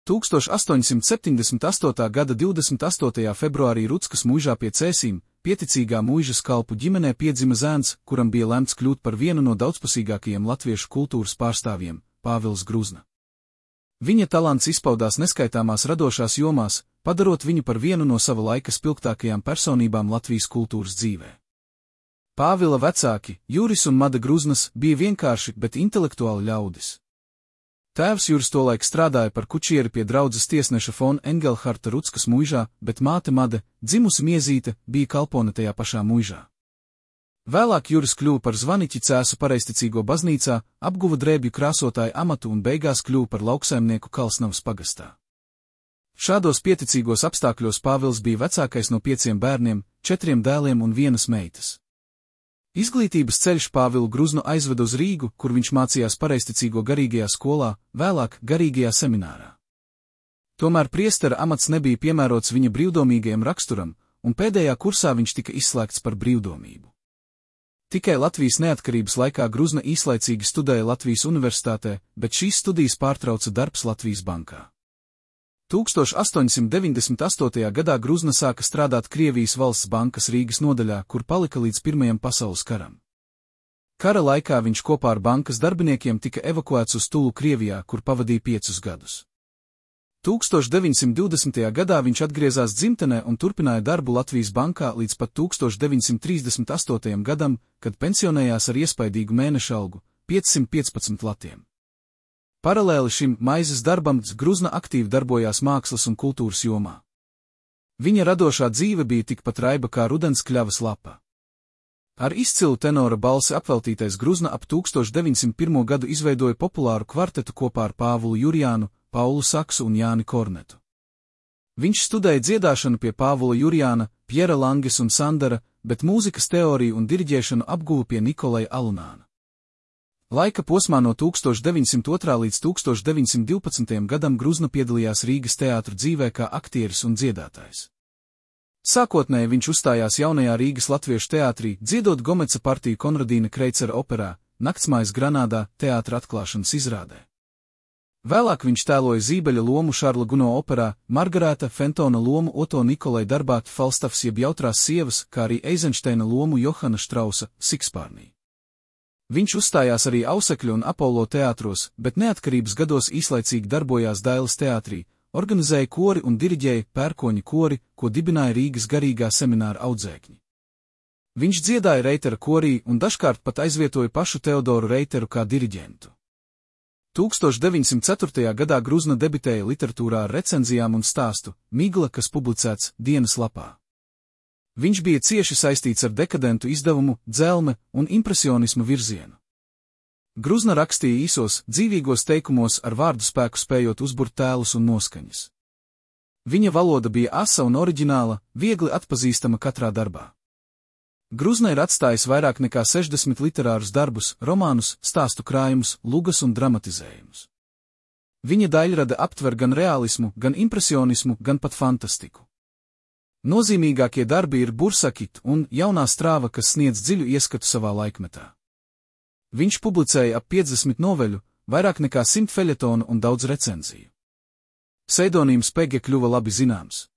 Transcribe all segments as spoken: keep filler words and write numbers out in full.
tūkstoš astoņsimt septiņdesmit astotā gada divdesmit astotajā februārī Ruckas muižā pie Cēsīm, pieticīgā muižas kalpu ģimenē piedzima zēns, kuram bija lemts kļūt par vienu no daudzpusīgākajiem latviešu kultūras pārstāvjiem - Pāvils Gruzna. Viņa talants izpaudās neskaitāmās radošās jomās, padarot viņu par vienu no sava laika spilgtākajām personībām Latvijas kultūras dzīvē. Pāvila vecāki, Juris un Mada Gruznas, bija vienkārši, bet intelektuāli ļaudis. Tēvs Juris tolaik strādāja par kučieri pie draudzes tiesneša Fon Engelharta Ruckas muižā, bet māte Made, dzimusi Miezīte, bija kalpone tajā pašā muižā. Vēlāk Juris kļuva par zvaniķi Cēsu pareizticīgo baznīcā, apguva drēbju krāsotāju amatu un beigās kļuva par lauksaimnieku Kalsnavas pagastā. Šādos pieticīgos apstākļos Pāvils bija vecākais no pieciem bērniem, četriem dēliem un vienas meitas. Izglītības ceļš Pāvilu Gruznu aizveda uz Rīgu, kur viņš mācījās pareizticīgo garīgajā skolā, vēlāk garīgajā seminārā. Tomēr priestera amats nebija piemērots viņa brīvdomīgajam raksturam, un pēdējā kursā viņš tika izslēgts par brīvdomību. Tikai Latvijas neatkarības laikā Gruzna īslaicīgi studēja Latvijas universitātē, bet šīs studijas pārtrauca darbs Latvijas bankā. tūkstoš astoņsimt deviņdesmit astotajā gadā Gruzna sāka strādāt Krievijas valsts bankas Rīgas nodaļā, kur palika līdz Pirmajam pasaules karam. Kara laikā viņš kopā ar bankas darbiniekiem tika evakuēts uz Tulu Krievijā, kur pavadīja piecus gadus. tūkstoš deviņsimt divdesmitajā gadā viņš atgriezās dzimtenē un turpināja darbu Latvijas bankā līdz pat tūkstoš deviņsimt trīsdesmit astotajam gadam, kad pensionējās ar iespaidīgu mēneša algu - piecsimt piecpadsmit latiem. Paralēli šim maizes darbam Gruzna aktīvi darbojās mākslas un kultūras jomā. Viņa radošā dzīve bija tikpat raiba kā rudens kļavas lapa. Ar izcilu tenora balsi apveltītais Gruzna ap tūkstoš deviņsimt pirmo gadu izveidoja populāru kvartetu kopā ar Pāvulu Jurjānu, Paulu Saksu un Jāni Kornetu. Viņš studēja dziedāšanu pie Pāvula Jurjāna, Pjera Langes un Sandara, bet mūzikas teoriju un diriģēšanu apguva pie Nikolaja Alunāna. Laika posmā no tūkstoš deviņsimt otrā līdz tūkstoš deviņsimt divpadsmitajam gadam Gruzna piedalījās Rīgas teātru dzīvē kā aktieris un dziedātājs. Sākotnēji viņš uzstājās jaunajā Rīgas latviešu teātrī, dziedot Gomeca partiju Konradīna Kreicera operā Naktsmājas Granādā teātra atklāšanas izrādē. Vēlāk viņš tēloja Zībeļa lomu Šarla Guno operā, Margarēta Fentona lomu Oto Nikolai darbā Falstafs jeb Jautrās sievas, kā arī Eizenšteina lomu Johana Štrausa Sikspārnī. Viņš uzstājās arī Ausekļu un Apollo teātros, bet neatkarības gados īslaicīgi darbojās Dailes teātrī, organizēja kori un diriģēja Pērkoņa kori, ko dibināja Rīgas garīgā semināra audzēkņi. Viņš dziedāja Reitera korī un dažkārt pat aizvietoja pašu Teodoru Reiteru kā diriģentu. tūkstoš deviņsimt ceturtajā gadā Gruzna debitēja literatūrā ar recenzijām un stāstu Migla, kas publicēts Dienas lapā. Viņš bija cieši saistīts ar dekadentu izdevumu, dzelme un impresionismu virzienu. Gruzna rakstīja īsos, dzīvīgos teikumos ar vārdu spēku spējot uzburt tēlus un noskaņas. Viņa valoda bija asa un oriģināla, viegli atpazīstama katrā darbā. Gruzna ir atstājis vairāk nekā sešdesmit literārus darbus, romānus, stāstu krājumus, lugas un dramatizējumus. Viņa daļrada aptver gan realismu, gan impresionismu, gan pat fantastiku. Nozīmīgākie darbi ir Bursakit un Jaunā strāva, kas sniedz dziļu ieskatu savā laikmetā. Viņš publicēja ap piecdesmit noveļu, vairāk nekā simt feļetonu un daudz recenziju. Pseidonīms Pege kļuva labi zināms.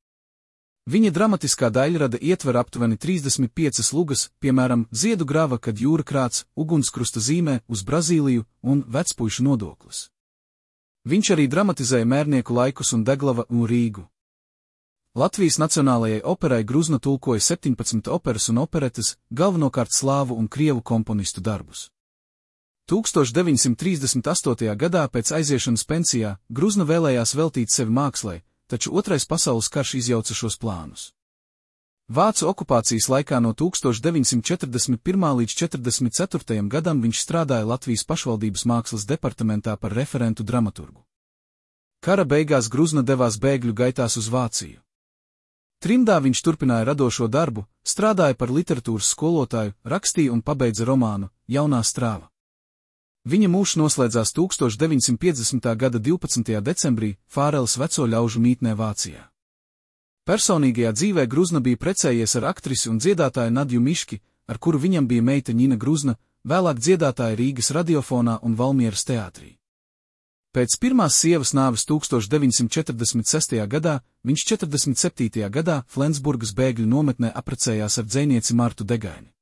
Viņa dramatiskā daļrada ietver aptuveni trīsdesmit piecas lugas, piemēram, Ziedu grava, kad jūra krāts, Ugunskrusta zīmē, Uz Brazīliju un Vecpuišu nodoklis. Viņš arī dramatizēja Mērnieku laikus un Deglava un Rīgu. Latvijas Nacionālajai operai Gruzna tulkoja septiņpadsmit operas un operetes, galvenokārt slāvu un krievu komponistu darbus. tūkstoš deviņsimt trīsdesmit astotajā gadā pēc aiziešanas pensijā Gruzna vēlējās veltīt sevi mākslai, taču Otrais pasaules karš izjauca šos plānus. Vācu okupācijas laikā no tūkstoš deviņsimt četrdesmit pirmā līdz četrdesmit ceturtajam gadam viņš strādāja Latvijas pašvaldības mākslas departamentā par referentu dramaturgu. Kara beigās Gruzna devās bēgļu gaitās uz Vāciju. Trimdā viņš turpināja radošo darbu, strādāja par literatūras skolotāju, rakstīja un pabeidza romānu Jaunā strāva. Viņa mūžs noslēdzās tūkstoš deviņsimt piecdesmitā gada divpadsmitajā decembrī Fāreles veco ļaužu mītnē Vācijā. Personīgajā dzīvē Gruzna bija precējies ar aktrisi un dziedātāju Nadju Miški, ar kuru viņam bija meita Ņina Gruzna, vēlāk dziedātāja Rīgas radiofonā un Valmieras teātrī. Pēc pirmās sievas nāves tūkstoš deviņsimt četrdesmit sestajā gadā, viņš četrdesmit septītajā gadā Flensburgas bēgļu nometnē apprecējās ar dzejnieci Martu Degaini.